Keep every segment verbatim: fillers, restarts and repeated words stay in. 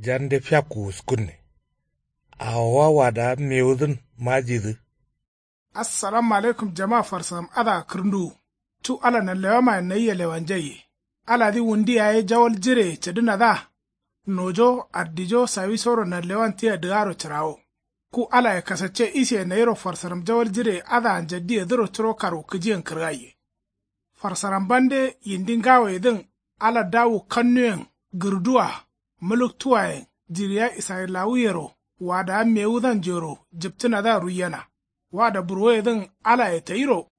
Jande fiakku wuskunne. Awowa wadaa mewudǝn majidǝ. Assalamu alaikum jama farsaram adǝa kǝrǝnduwu. Cu ala nanlewamayen nayia lewanjaiye. Aladǝ wundi yaye jawal jireye cǝdǝnadǝa. Nojo ardijo sawisoro nanlewan tia dǝgaro cǝrawo. Ku alaye kasacce isiye nayiro farsaram jawal jireye adǝa njaddiyedǝro curo karwukǝjiyen kǝrgaiye. Farsaram bande yindi ngawoyedǝn ala dawu kannuyen gǝrduwa mǝluktuwayen jiriya israyilawuyero wadawa mewudanjuyero jǝptǝnadǝa ruiyena. Wada burwoyedǝn alaye tayiro.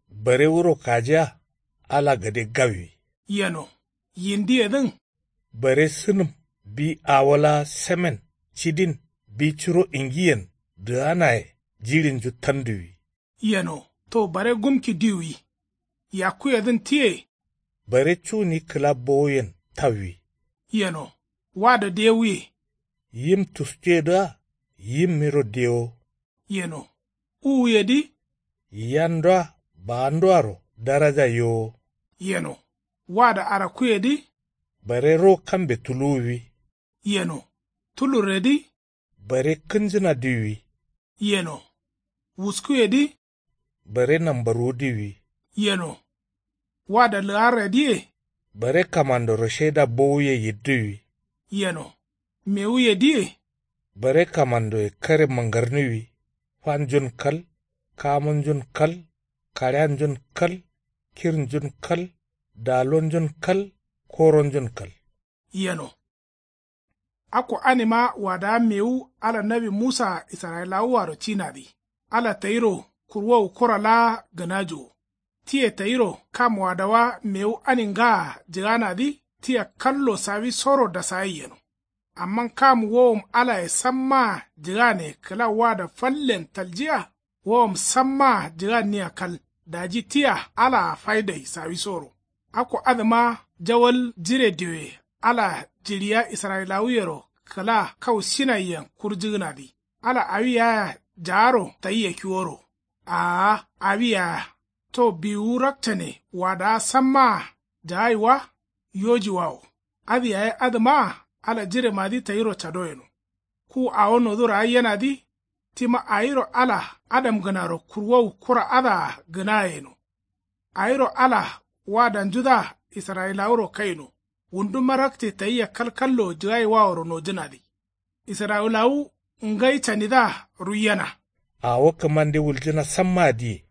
Bare wuro kajiya ala gade gawwi. Yeno yindiyedǝn. Bare sǝnǝm bi awo laa semen cidin bi curo ingiyen dǝganaye jiɍinju tanduwi. Yeno to bare gumki diwwi. Yakkuyedǝn tiye. Bare cuni kǝla bowuyen tawwi. Yeno wada dewuye. Yim tuskuyedǝa yimmiro dewo. Yeno uwuyedǝ. Yiyandua baanduaro daraja yowo. Yeno wada arakkuyedǝ. Bare ro kambe tuluwwi. Yeno tulurredǝ. Bare kǝnjǝna diwwi. Yeno wuskuyedǝ. Bare nambarwu diwwi. Yeno wada lǝgarredǝye. Bare kamandoro sheda bowuye yiddǝwwi. Yeno mewuyedǝye. Bare kamandoye kare mangarniwwi. Fanjun kal kamunjun kal kaɍeanjun kal kirnjun kal dalonjun kal koronjun kal. Yeno akko anima wadawa mewu ala nawi musaa israyilawuaro cinadǝ. Ala tayiro kurwowu kura laa gǝnajuwo. Tiye tayiro kam wadawa mewu ani ngaa jǝganadǝ tia kallo sawisoro dasagai yeno. Amma kam wowom alaye sammaa jǝgane kǝla wada fallen taljiya. Wowom sammaa jǝganniya kal daji tia alaa faidai sawisoro. Akko adǝma jawal jire dioye ala jiɍiya israyilawuyero kǝla kau sinaiyen kurjǝgǝnadǝ. Ala awi yaaya jaaro tayia kiworo. Aa awi yaaya to biwuwu rakcane wadawa sammaa jagai wa. Yoji wawo adǝ yaye adǝmaa ala jiremadǝ tayiro cado yeno. Ku awo nodu ragai yenadǝ tima awiro ala adamgǝnaro kurwowu kura adǝa gǝna yeno. Awiro ala wadanjudǝa israyilawuro kaino. Wunduma rakce tayia kalkallo jǝgai waworo nojǝnadǝ. Israyilawu ngai canidǝa ruiyena. Awo kǝmande wuljǝna sammaa diye.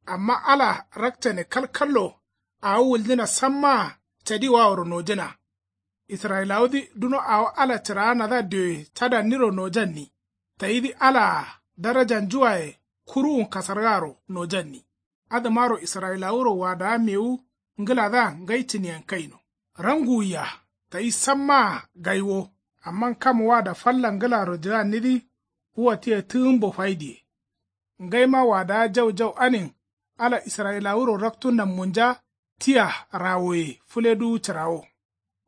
Amma ala rakcane kalkallo awo wuljǝna sammaa cadi waworo nojǝna. Israyilawudǝ duno awo ala cǝraanadǝa dioye cadanniro nojanni. Tayidǝ alaa darajanjuwaye kuruwun kasargaaro nojanni. Adǝmaro israyilawuro wadawa mewu ngǝladǝa ngai cǝniyen kaino. Ranguwwiya tayi sammaa gai wo. Amma kam wada falla ngǝlaro jǝgannidǝ wua tia tǝgǝmbo faidiye. Ngaima wadawa jau jau anin ala israyilawuro raktu nammunja tia rawoye fǝleduwu cǝrawo.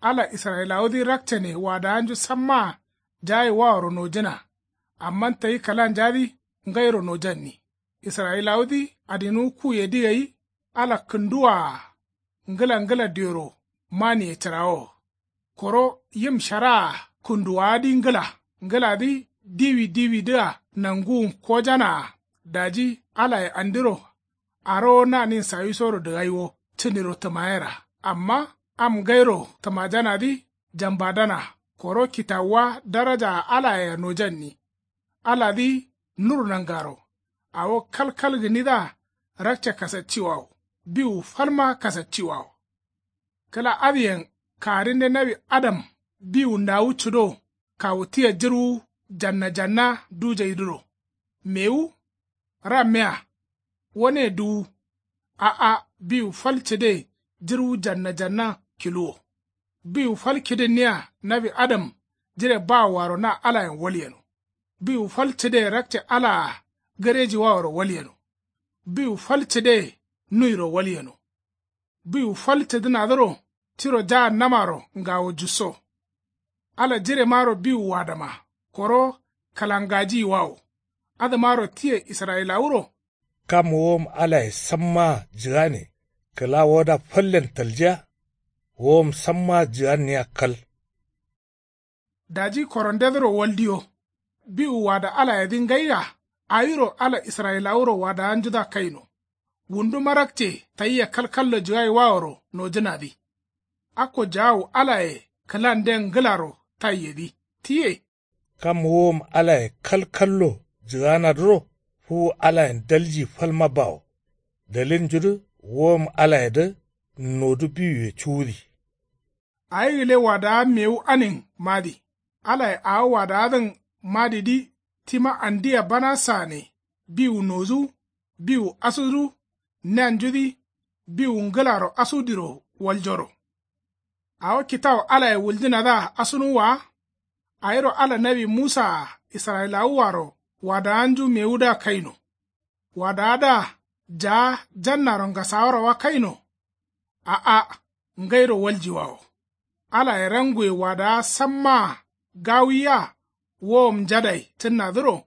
Ala israyilawudǝ rakcane wadawanju sammaa jagai waworo nojǝna. Amma tayi kǝlanjadǝ ngairo nojanni. Israyilawudǝ adinuwu kuyedǝ gai ala kǝnduwaa ngǝla ngǝla dioro maniye cǝrawo. Koro yim sharaa kǝnduwaadǝ ngǝla ngǝladǝ diwi diwidǝa nanguwun kojanaa. Daji alaye andiro arowo nanin sawisoro dǝgai wo cǝniro tǝmayera. Amma am ngairo tǝmajanadǝ jambadana koro kitawuwa darajaa alayea nojanni. Aladǝ nur nangaro awo kalkal gǝnidǝa rakce kasacciwawo biwu falma kasacciwawo. Kǝla adǝyen karinde nawi adam biwu ndawu cǝdo kawu tia jǝrwu janna janna dujaidǝro. Mewu rammea wane duwu. A'a biwu fal cǝde jǝrwu janna janna kiluwo. Biwu fal kidǝnniya nawi adam jire bawoaro na alayen walyeno. Biwu fal cǝde rakce alaa gǝrejiwaworo walyeno. Biwu fal cǝde nuiro walyeno. Biwu fal cǝdǝnadǝro tiro jahannamaro ngawo jusso. Ala jiremaro biwu wadama koro kǝlangajiyiwawo. Adǝmaro tiye israyilawuro. Kam wowom alaye sammaa jǝgane kǝla woda fallen taljiya. Wowom sammaa jǝganniya kal. Daji korondedǝro waldiyo. Biwu wada alayedǝ ngaia. Awiro ala israyilawuro wadawanjudǝa kaino. Wundu marakce tayia kalkallo jǝgaiwaworo nojǝnadǝ. Akko jaawu alaye kǝlanden ngǝlaro taiyedǝ. Tiye. Kam wuwom alaye kalkallo jǝganadǝro fuwu alayen dalji falma bawo. Dalilnjudǝ wuwom alayedǝ nodu biwuye cuwudi. Awi gǝle wadawa mewu anin madi. Alaye awo wadawadǝn madidǝ tima andia banasaane. Biwu nodu biwu asudǝ. Neanjudǝ biwu ngǝlaro asudiro waljoro. Awo kitawu alaye wuljǝnadǝa asunuwwa wa. Awiro ala nawi musaa israyilawuaro wadawanju mewudǝa kaino. Wadawadǝa jaa jannaro ngasaworo wa kaino. A'a. Ngairo waljiwawo. Alaye ranguwe wadawa sammaa gawuwiya. Wowom njadai cǝnnadǝro.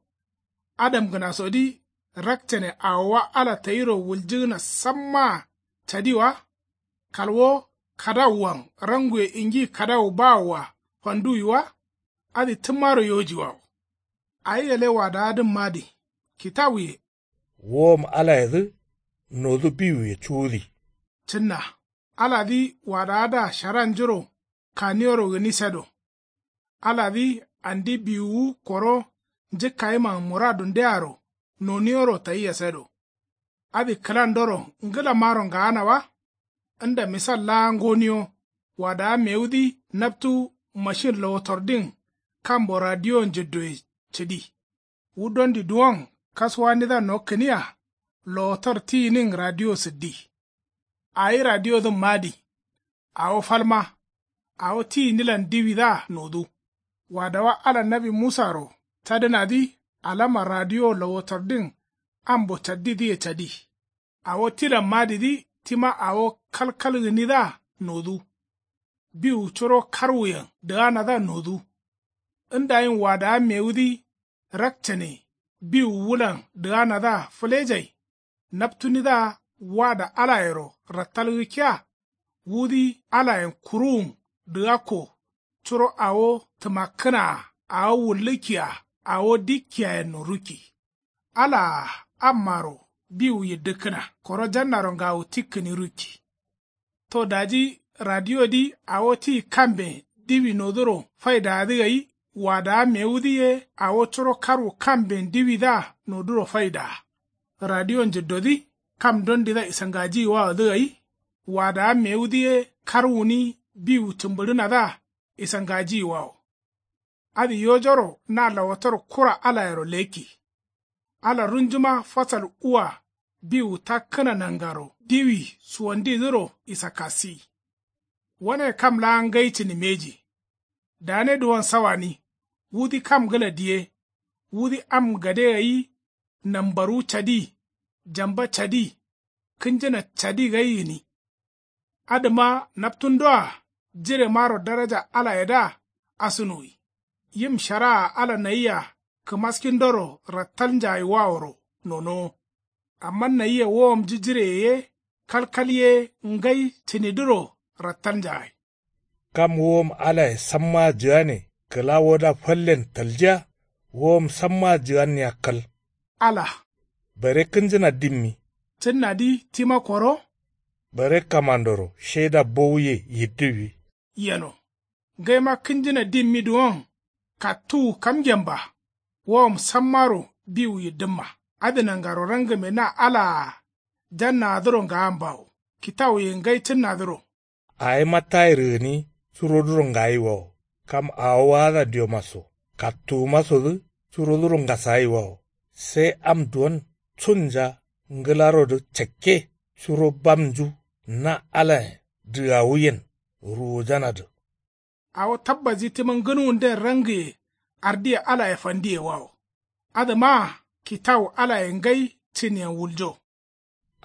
Adamgǝnasodǝ rakcane awowa ala tayiro wuljǝgǝna sammaa cadi wa. Kalwo kadawuwan ranguwe ingi kadawu bawoa fanduwi wa. Adǝ tǝmmaro yojiwawo. Awi gale wadawadǝn madi. Kitawuye. Wowom alayedǝ nodu biwuye cuwudi. Cǝnna. Aladǝ wadawadǝa sharanjuro kaniyoro gǝni sedo. Aladǝ andi biwuwu koro njǝkkayiman muradundearo noniyoro tayia sedo. Adǝ kǝlandoro ngǝlamaro ngaana wa. Nda misal laa ngoniyo. Wadawa mewudǝ naptu mashin lowotordin kambo radiyo njǝddoye cǝdi. Wu dondi duwon kasuwandidǝa nokkǝniya. Lowotor tiyinin radiyo sǝddi. Awi radiyodǝn madi. Awo falma. Awo tiyinilan diwidǝa nodu. Wadawa ala nawi musaro cadǝnadǝ alama radiyo lowotordin ambo caddidǝye cadi. Awo tilan madidǝ tima awo kalkal gǝnidǝa nodu. Biwu curo karwuyen dǝganadǝa nodu. Ndayin wadawa mewudǝ rakcane biwu wulan dǝganadǝa fǝlejai. Naptunidǝa wada alayero rattal gǝkkiya. Wudǝ alayen kuruwun dǝgakko. Curo awo tǝmakkǝnaa awo wullǝkkia awo dikkiyayenno rukki. Alaa ammaro biwu yiddǝkkǝna koro jannaro ngawu tikkǝni rukki. To daji radiyodǝ awo ti kamben diwi noduro faidaadǝ gai. Wadawa mewudǝ ye awo curo karwu kamben diwidǝa noduro faidaa. Radiyo njǝddodǝ kam dondidǝa isangajiyiwawodǝ gai. Wadawa mewudǝ ye karwuni biwu cǝmbǝɍǝnadǝa isangajiyiwawo. Adǝ yojoro na lawatar kura alayero lekki. Ala runjuma fasal uwa biwu takkǝna nangaro diwi suwandidǝro isakkasi. Wane kam laa ngai cǝni mbeji. Dane duwon sawani. Wudǝ kam gǝla diye. Wudǝ am gade gai. Nambarwu cadi. Jamba cadi. Kǝnjǝna cadi gai gǝni. Adǝma naptundoa jiremaro daraja alayedǝa asunuwi. Yim sharaa ala nayia kǝmaskindoro rattalnjagaiwaworo nonowo. Amma nayia wowomju jireye ye kalkal ye ngai cǝnidǝro rattalnjagai. Kam wowom alaye sammaa jǝgane kǝla woda fallen taljiya. Wowom sammaa jǝganniya kal. Ala. Bare kǝnjǝna dimmi. Cǝnnadǝ tima koro. Bare kamandoro shaida bowuye yiddǝwi. Yeno. Ngaima kǝnjǝna dimmi duwon kattuwu kamgen ba. Wowom sammaro biwu yiddǝmma. Adǝ nangaro rangǝme na alaa jannadǝro ngaambawo. Kitawuye ngai cǝnnadǝro. Awima tayir gǝni curoduro ngayiwawo. Kam awo waada diomaso kattuwumasodǝ curoduro ngasagayiwawo. Sai am duwon cunja ngǝlarodǝ cakke curo bamnju na alayen dǝgawuyen ruwujanadǝ. Awo tabbasyi tima ngǝnuwunden rangǝye ardiye alaye fandiyewawo. Adǝmaa kitawu alaye ngai cǝniyen wuljo.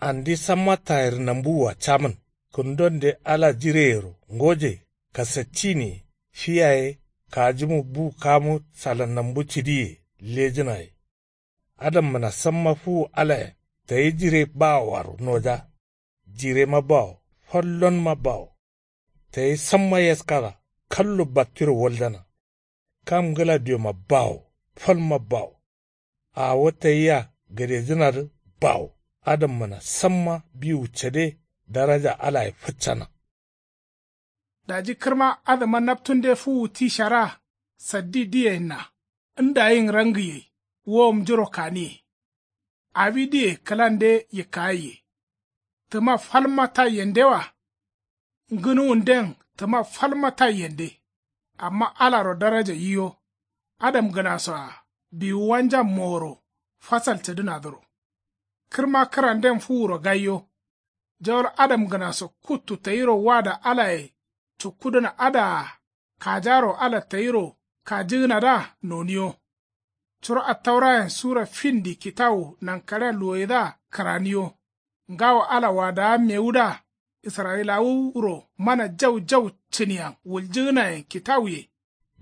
Andi samma tayir nambuwua camǝn kǝndonde ala jireyero ngoje kasacciniye fi yaye kajumu bu kamu sala nambu cǝdiye lejǝnaye. Adammǝna samma fuwu alayen tayi jire bawoaro noja. Jirema bawo fallonma bawo. Tayi samma yaskada kallo battiro waljana. Kam ngla dioma bawo, falma bawo. Awo tayia gadejǝnadǝ bawo. Adamgǝna samma biwu cade daraja alaye fǝccana. Daji kǝrma adǝma naptunde fuwu ti shara saddi diyenna ndayin rangiye. Wowomnjuro kaniye. Awi diye kǝlande yikkagaiye. Tǝma falma taiyendewa. Ngǝnuwunden tǝma falma taiyende. Amma alaro daraja yiyo. Adamgǝnaso-a biwuwanjan moworo fasal cǝdǝnadǝro. Kǝrma kǝranden fuwuro gaiyo. Jawal adamgǝnaso kuttu tayiro wada alaye cukkudǝna adǝa-a kajaro ala tayiro kajǝgǝnadǝa noniyo. Curo attaurayen sura findi kitawu nankaɍea luwoyedǝa kǝraniyo. Ngawo ala wadawa mewudǝa israyilawuro mana jau jau cǝniyan wuljǝgǝnayen kitawuye.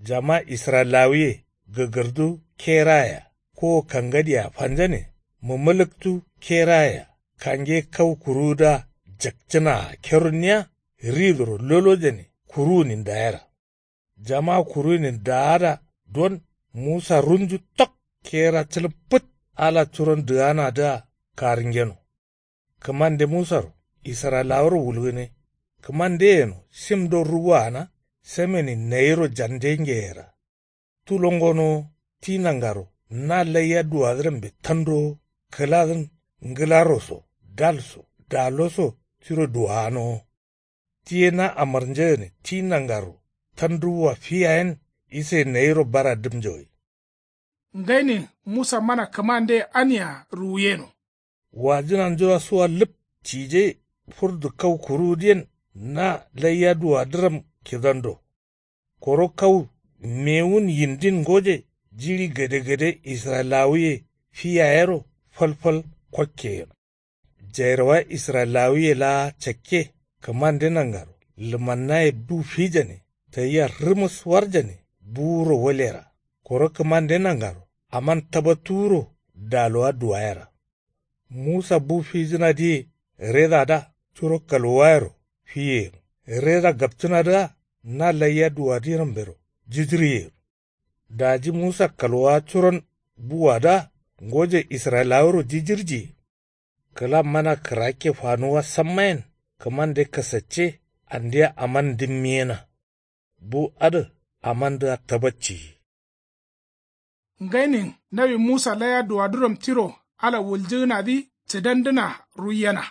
Jama israyilawuye gǝgǝrdu kerayea kowo kangadiyea fanjane. Mǝmǝlǝktu kerayea kange kau kuruwudǝa jakcǝnaa kerunniya. Ridoro lolojane kuruwunin dayera. Jama kuruwunin daada don musa runju tok kera cǝlǝm fǝt. Ala curon dǝganadǝa karǝngeno. Kǝmande musaro israyilawuro wulgǝne. Kǝmande yeno simdo ruwuwa gǝna. Semenin nayiro jandengeyera. Tulongonowo ti nangaro na laiya duwadǝrambe tandowo. Kǝladǝn ngǝlaro so dal so dalo so tiro duwaganowo. Ti ye na amarnjegǝne ti nangaro tanduwwa fi yayen. Isaye nayiro bara dǝmnjawai. Ngainin musa mana kǝmandeye ania ruwuyeno. Wajǝnanjua suwa lǝp cije furdu kau kuruwudǝyen na laiya duwadǝram kidando. Koro kau mewun yindin ngoje jiɍi gadegade israyilawuye fi yayero falfal kokke yeno. Jairawa israyilawuye laa cakke kǝmande nangaro lǝmannaye bu fijane tayia rǝmǝs warjane buwuro walera. Koro kǝmande nangaro aman tabattuwuro dalowa duwayera. Musa bu fijǝnadǝye redadǝa curo kalwuwayero fiye yeno. Reda gapcǝnadǝa na laiya duwadǝrambero jǝjǝriye yeno. Daji musa kalwawa curon buwadǝa ngoje israyilawuro jijirjiye. Kǝla mana kǝrakke fanuwwa sammayen kǝmande kasacce andeya aman ndǝmmiyena. Bu adǝ amandǝa tabacciyi. Ngainin nawi musa laiya duwaduram tiro ala wuljǝgǝnadǝ cǝdandǝna ruiyena.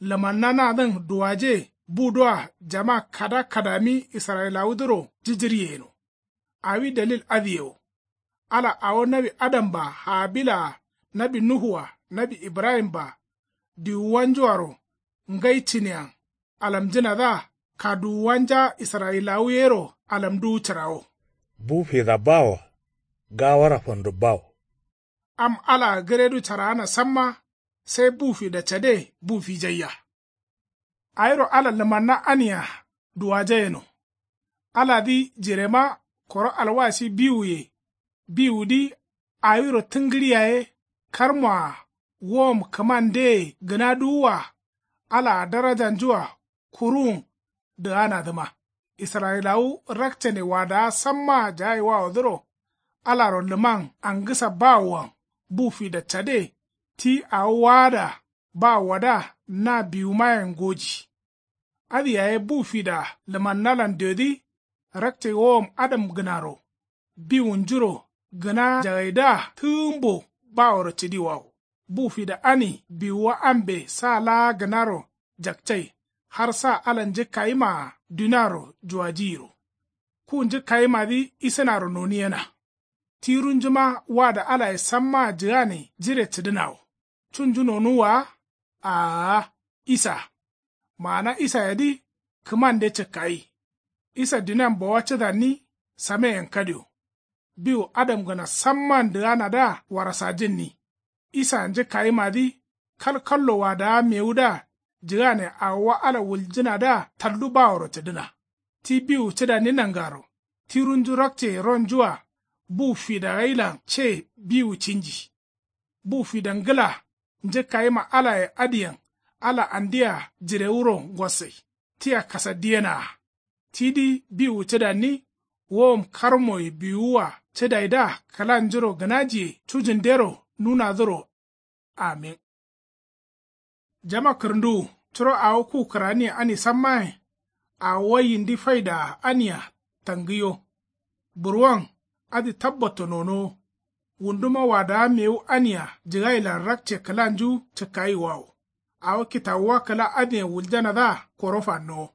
Lǝmannanadǝn duwaje budǝa jama kada kadami israyilawudǝro jǝjǝryeyeno. Awi dalil adǝye wo. Ala awo nawi adamba haabila-a nawi nuhu-a nawi ibrahim-a diwuwanju-aro ngai cǝniyan alamjǝnadǝa kaduwuwanja israyilawu yero alamduwu cǝrawo. Bu fida bawo-a gawara fando bawo. Am alaa gǝredu caraana samma sai bu fida cade bu fijaiya. Awiro ala lǝmanna ania duwaja yeno. Aladǝ jirema koro alwasi biwuye. Biwudǝ awiro tǝngǝɍiya ye karmoa wowom kǝmandeye gǝnaduwua alaa darajanjua kuruwun dǝganadǝma. Israyilawu rakcane wadawa sammaa jagaiwawodǝro alaro lǝman angǝsa bawoan bu fida cade ti awo waada bawowadǝa na biwumayen ngoji. Adǝ yaye bu fida lǝmannalan diodǝ rakce wowom adamgǝnaro biwunjuro gǝna jagaidǝa tǝgǝmbo baworo cǝdiwawo. Bu fida ani biwuwa ambe sa laa gǝnaro jakcai har sa ala njǝkkayimaa duniaro juwajiyiro. Ku njǝkkayimadǝ isǝnaro noniyena. Tirunjuma wada alaye sammaa jǝgane jire cǝdǝnawo. Cunju nonuwwa wa? Aa. Isa. Maana isayedǝ kǝmande cǝkkayi. Isa dunian bowa cǝdanni sameyen kadio. Biwu adamgǝna samman dǝganadǝa warasajǝnni. Isa njǝkkayimadǝ kalkallo wadawa mewudǝa jǝgane awowa ala wuljǝnadǝa taldu baworo cǝdǝna. Ti biwu cǝdanni nangaro tirunju rakce ronjua bu fida gailan ce biwu cinji. Bu fida ngǝla njǝkkayima alaye adǝyen ala andea jirewuro ngossai. Tia kasaddiyenaa. Tidǝ biwu cǝdanni Wowom karmoye biwuwa cǝdaidǝa kǝlanjuro gǝnajiye cujǝndero nunadǝro. Amin. Jama kǝrǝnduwu curo awo ku kǝraniye ani sammayen. Awo yindi faidaa ania tangǝyo. Burwon adǝ tabbatto nonowo. Wunduma wadaa mewu ania jǝgailan rakce kǝlanju cǝkkayiwawo. Awo kitawuwa kǝla adǝyen wuljanadǝa koro fannowo.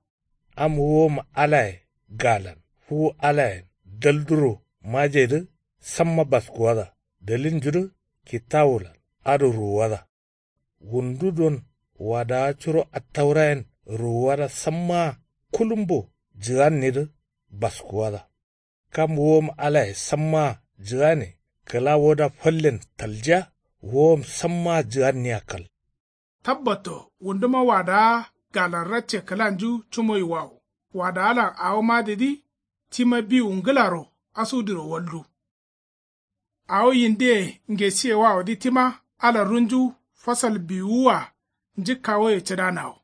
Am wowom alaye galan fuwu alayen dalduro majedǝ samma baskuwada. Dalilnjudǝ kitawulan adǝ ruwuwada. Wundu don wadawa curo attaurayen ruwuwada sammaa kulumbo jǝgannidǝ baskuwada. Kam wowom alaye sammaa jǝgane kǝla woda fallen taljiya. Wowom sammaa jǝganniya kal. Tabbatto wunduma wadawa galan racce kǝlanju cumoyiwawo. Wadawalan awo madǝdǝ tima biwu ngǝlaro asudiro waldu. Awo yindiye ngesiyewawodǝ tima ala runju fasal biwuwua njǝkkawoye cǝdanawo.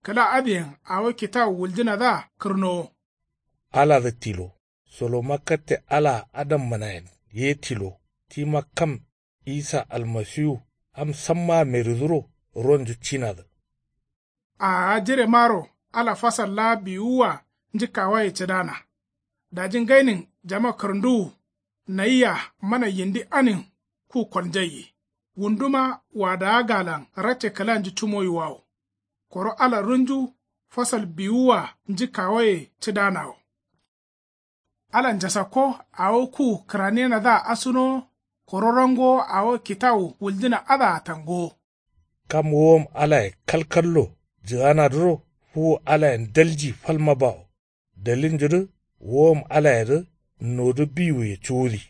Kǝla adǝyen awo kitawu wuljǝnadǝa kǝrnowo. Aladǝ tilo. Solomakkatte alaa adamminayen ye tilo. Tima kam isa almasiwu am sammaa meriduro ronju cinadǝ. Aa jiremaro ala fasal laa biwuwua njǝkkawaye cǝdana. Daji ngainin jama kǝrǝnduwu. Nayia mana yindi anin ku kolnjaiye. Wunduma wadawa galan racce kǝlanju cumoyiwawo. Koro ala runju fasal biwuwua njǝkkawaye cǝdanawo. Ala njasakko awo ku kǝraniyenadǝa asunowo. Koro rangowo awo kitawu wuljǝna adǝa tangowo. Kam wowom alaye kalkallo jǝganadǝro fuwu alayen dalji falma bawo. Dalilnjudǝ wowom alayedǝ nodǝ biwuye cuwudi.